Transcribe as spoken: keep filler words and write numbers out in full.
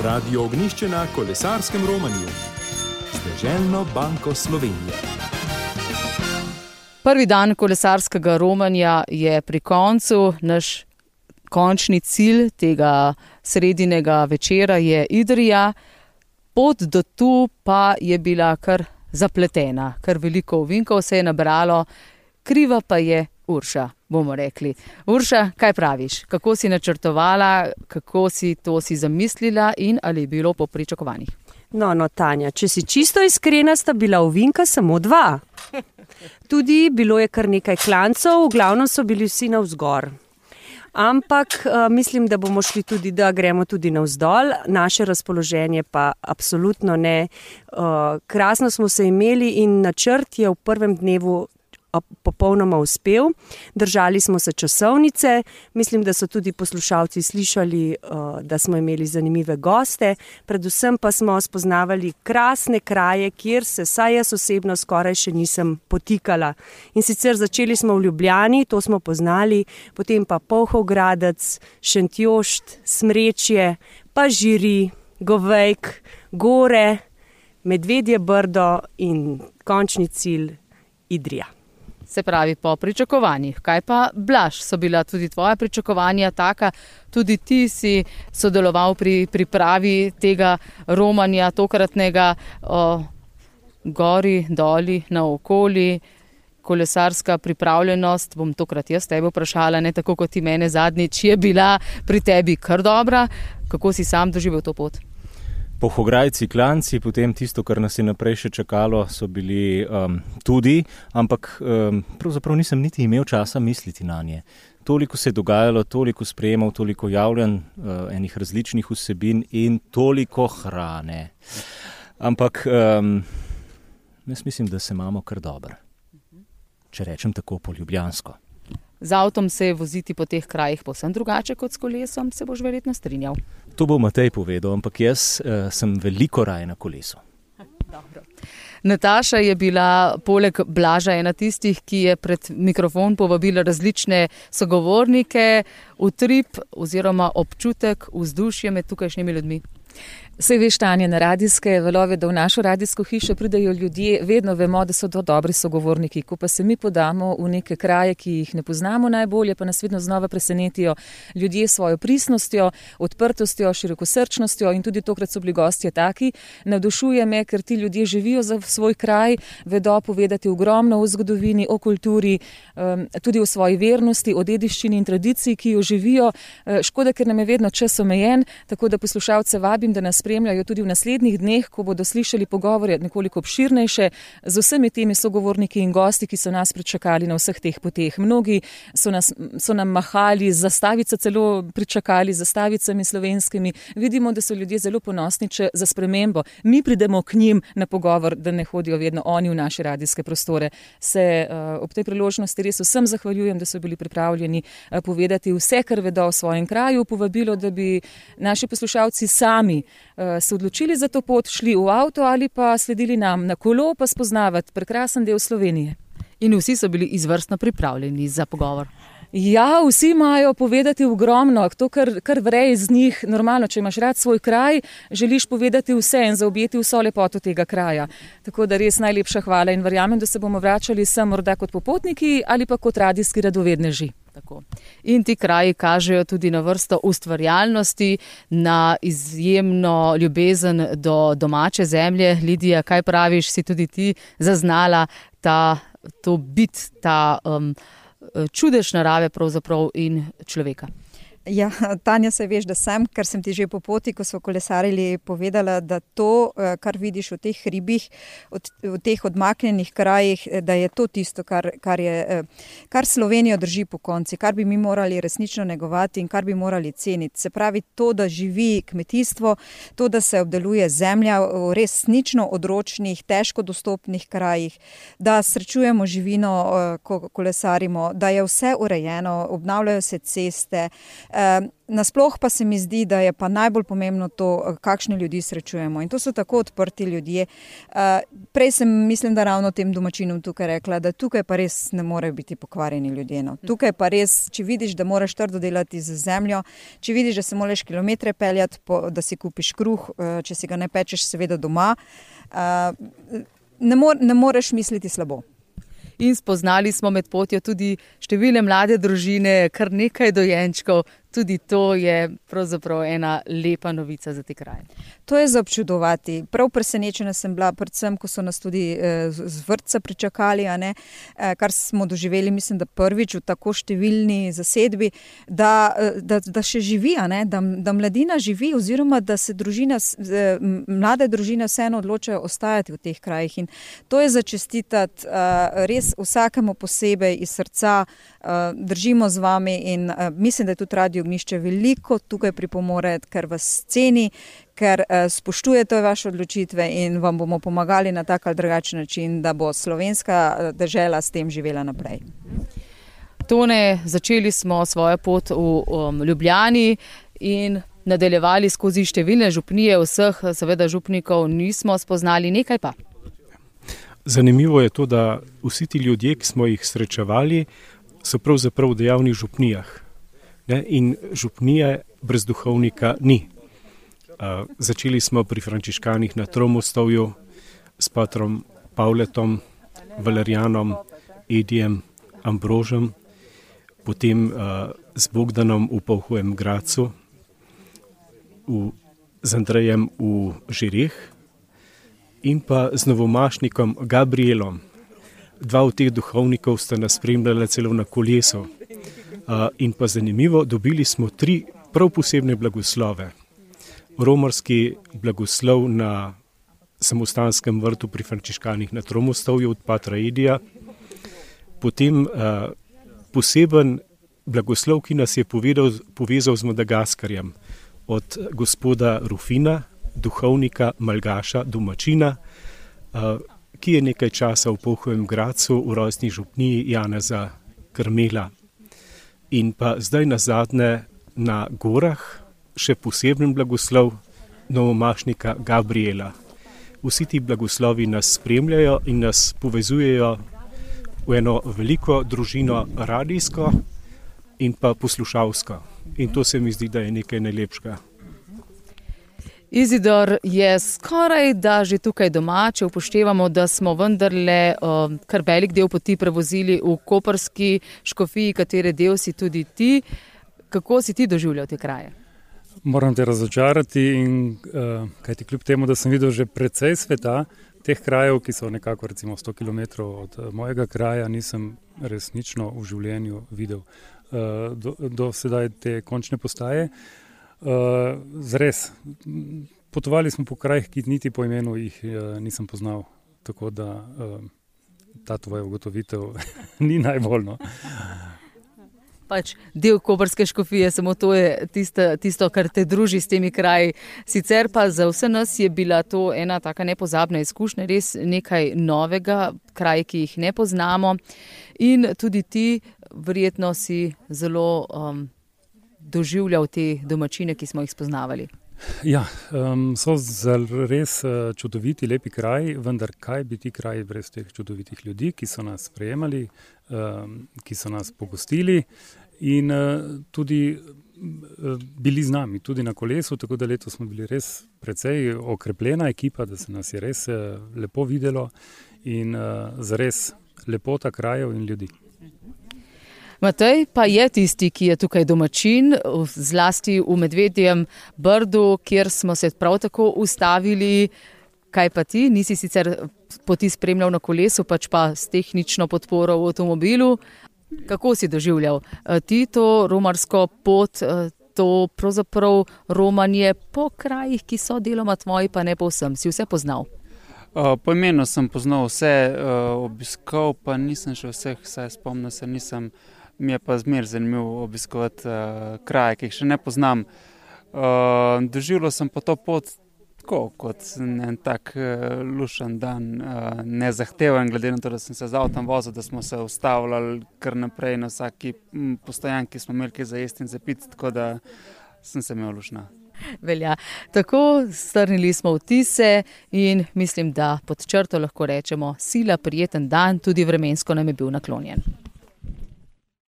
Radio Ognjišče na kolesarskem romanju z Deželno banko Slovenije. Prvi dan kolesarskega romanja je pri koncu. Naš končni cilj tega sredinega večera je Idrija. Pot do tu pa je bila kar zapletena, kar veliko ovinkov se je nabralo, kriva pa je Urša, bomo rekli. Urša, kaj praviš? Kako si načrtovala, kako si to si zamislila in ali je bilo po pričakovanjih? No, no, Tanja, če si čisto iskrena, sta bila ovinka samo dva. Tudi bilo je kar nekaj klancev, v glavnem so bili vsi navzgor. Ampak uh, mislim, da bomo šli tudi, da gremo tudi navzdol. Naše razpoloženje pa absolutno ne. Uh, krasno smo se imeli in načrt je v prvem dnevu popolnoma uspel. Držali smo se časovnice. Mislim, da so tudi poslušalci slišali, uh, da smo imeli zanimive goste. Predvsem pa smo spoznavali krasne kraje, kjer se saj jaz osebno skoraj še nisem potikala. In sicer začeli smo v Ljubljani, to smo poznali, potem pa Polhogradec, Šentjošt, Smrečje, pa Žiri, Govejk, Gore, Medvedje Brdo in končni cilj Idrija. Se pravi, po pričakovanjih. Kaj pa, Blaž, so bila tudi tvoja pričakovanja taka? Tudi ti si sodeloval pri pripravi tega romanja, tokratnega o, gori, doli, naokoli, kolesarska pripravljenost. Bom tokrat jaz tebe vprašala, ne tako kot ti mene zadnjič, je bila pri tebi kar dobra. Kako si sam doživel to pot? Pohograjci, klanci, potem tisto, kar nas je naprej še čakalo, so bili um, tudi, ampak um, pravzaprav nisem niti imel časa misliti na nje. Toliko se je dogajalo, toliko sprejemal, toliko javljanj, uh, enih različnih vsebin in toliko hrane. Ampak um, jaz mislim, da se imamo kar dobro, če rečem tako po ljubljansko. Z avtom se je voziti po teh krajih povsem drugače kot s kolesom, se boš verjetno strinjal. To bo Matej povedal, ampak jaz uh, sem veliko raje na kolesu. Dobro. Nataša je bila poleg Blaža ena tistih, ki je pred mikrofon povabila različne sogovornike, utrip oziroma občutek, vzdušje med tukajšnjimi ljudmi. Saj veš, Tanja, na radijske valove, da v našo radijsko hišo pridejo ljudje, vedno vemo, da so to dobri sogovorniki. Ko pa se mi podamo v neke kraje, ki jih ne poznamo najbolje, pa nas vedno znova presenetijo ljudje s svojo pristnostjo, odprtostjo, širokosrčnostjo in tudi tokrat so bili gostje taki. Navdušuje me, ker ti ljudje živijo za svoj kraj, vedo povedati ogromno o zgodovini, o kulturi, tudi o svoji vernosti, o dediščini in tradiciji, ki jo živijo. Škoda, ker nam je vedno čas omejen, tako da poslušalce vabim, da nas spremljajo tudi v naslednjih dneh, ko bodo slišali pogovore nekoliko obširnejše z vsemi temi sogovorniki in gosti, ki so nas pričakali na vseh teh poteh. Mnogi so, nas, so nam mahali, zastavice celo pričakali, zastavicami slovenskimi. Vidimo, da so ljudje zelo ponosni, če za spremembo mi pridemo k njim na pogovor, da ne hodijo vedno oni v naše radijske prostore. Se uh, ob tej priložnosti res vsem zahvaljujem, da so bili pripravljeni uh, povedati vse, kar vedo o svojem kraju, povabilo, da bi naši poslušalci sami se odločili za to pot, šli v avto ali pa sledili nam na kolo, pa spoznavati prekrasen del Slovenije. In vsi so bili izvrstno pripravljeni za pogovor. Ja, vsi imajo povedati ogromno, to kar, kar vre iz njih. Normalno, če imaš rad svoj kraj, želiš povedati vse in zaobjeti vso lepoto tega kraja. Tako da res najlepša hvala in verjamem, da se bomo vračali sem morda kot popotniki ali pa kot radijski radovedneži. Tako. In ti kraji kažejo tudi na vrsto ustvarjalnosti, na izjemno ljubezen do domače zemlje. Lidija, kaj praviš, si tudi ti zaznala ta, to bit, ta um, čudež narave pravzaprav in človeka? Ja, Tanja, se veš, da sem, ker sem ti že po poti, ko so kolesarili, povedala, da to, kar vidiš v teh hribih, v teh odmaknjenih krajih, da je to tisto, kar, kar, je, kar Slovenijo drži po konci, kar bi mi morali resnično negovati in kar bi morali ceniti. Se pravi, to, da živi kmetijstvo, to, da se obdeluje zemlja v resnično odročnih, težko dostopnih krajih, da srečujemo živino, ko kolesarimo, da je vse urejeno, obnavljajo se ceste, Nasploh pa se mi zdi, da je pa najbolj pomembno to, kakšne ljudi srečujemo. In to so tako odprti ljudje. Prej sem, mislim, da ravno tem domačinom tukaj rekla, da tukaj pa res ne morejo biti pokvarjeni ljudje. No. Tukaj pa res, če vidiš, da moraš trdo delati z zemljo, če vidiš, da se moraš kilometre peljati, da si kupiš kruh, če si ga ne pečeš seveda doma, ne, more, ne moreš misliti slabo. In spoznali smo med potjo tudi številne mlade družine, kar nekaj dojenčkov. Tudi to je pravzaprav ena lepa novica za te kraje. To je za občudovati. Prav presenečena sem bila, predvsem, ko so nas tudi z vrtca pričakali, a ne, kar smo doživeli, mislim, da prvič v tako številni zasedbi, da, da, da še živi, a ne, da, da mladina živi oziroma da se družina, mlade družine vseeno odločajo ostajati v teh krajih. In to je za čestitati res vsakemu posebej iz srca. Držimo z vami in mislim, da je tudi Radio Ognjišče veliko tukaj pripomore, ker vas ceni, ker spoštujete vaše odločitve in vam bomo pomagali na tak ali drugačen način, da bo slovenska dežela s tem živela naprej. Tone, začeli smo svojo pot v um, Ljubljani in nadaljevali skozi številne župnije, vseh seveda župnikov nismo spoznali, nekaj pa. Zanimivo je to, da vsi ti ljudje, ki smo jih srečevali, so pravzaprav v dejavnih župnijah. Ne? In župnije brez duhovnika ni. Uh, začeli smo pri frančiškanih na Tromostovju s patrom Pavletom, Valerijanom, Edijem, Ambrožem, potem uh, z Bogdanom v Polhovem Gracu, v, z Andrejem v Žireh in pa z novomašnikom Gabrielom. Dva od teh duhovnikov sta nas spremljala celo na kolesu. Uh, in pa zanimivo, dobili smo tri prav posebne blagoslove. Romarski blagoslov na samostanskem vrtu pri frančiškanih na Tromostovju od patra Edija, potem uh, poseben blagoslov, ki nas je povedal, povezal z Madagaskarjem, od gospoda Rufina, duhovnika, malgaša, domačina, uh, ki je nekaj časa v Polhovem Gracu v rojstni župniji Janeza Krmela. In pa zdaj nazadnje na gorah še poseben blagoslov novomašnika Gabriela. Vsi ti blagoslovi nas spremljajo in nas povezujejo v eno veliko družino radijsko in pa poslušalsko. In to se mi zdi, da je nekaj najlepšega. Izidor je skoraj da že tukaj doma, če upoštevamo, da smo vendarle uh, kar velik del poti prevozili v koprski škofiji, katere del si tudi ti. Kako si ti doživljal te kraje? Moram te razočarati, in, uh, kajti kljub temu, da sem videl že precej sveta, teh krajev, ki so nekako recimo sto kilometrov od uh, mojega kraja, nisem resnično v življenju videl uh, do, do sedaj te končne postaje. Uh, zres, potovali smo po krajih, ki niti po imenu jih uh, nisem poznal, tako da uh, ta tvoja ugotovitev ni najbolj. No. Pač del koprske škofije, samo to je tisto, tisto, kar te druži s temi kraji. Sicer pa za vse nas je bila to ena taka nepozabna izkušnja, res nekaj novega, kraji, ki jih ne poznamo. In tudi ti verjetno si zelo um, doživljal te domačine, ki smo jih spoznavali. Ja, um, so res uh, čudoviti, lepi kraji, vendar kaj bi ti kraji brez teh čudovitih ljudi, ki so nas sprejemali, um, ki so nas pogostili in uh, tudi uh, bili z nami, tudi na kolesu, tako da letos smo bili res precej okrepljena ekipa, da se nas je res uh, lepo videlo in uh, zares lepota krajev in ljudi. Matej pa je tisti, ki je tukaj domačin, zlasti v Medvedjem Brdu, kjer smo se prav tako ustavili. Kaj pa ti? Nisi sicer poti spremljal na kolesu, pač pa s tehnično podporo v avtomobilu. Kako si doživljal ti to romarsko pot, to pravzaprav romanje po krajih, ki so deloma tvoji, pa ne povsem? Si vse poznal? Uh, po imenu sem poznal vse, uh, obiskal pa nisem še vseh, saj spomnil se nisem. Mi je pa zmer zanimivo obiskovati uh, kraje, ki jih še ne poznam. Uh, doživljal sem pa to pot tako kot en tak uh, lušen dan, uh, nezahteven, glede na to, da sem se z avtom vozil, da smo se ustavljali kar naprej na vsaki postojanki, smo imeli kaj za jesti in za piti, tako da sem se imel lušna. Velja. Tako strnili smo vtise in mislim, da pod črto lahko rečemo sila prijeten dan, tudi vremensko nam je bil naklonjen.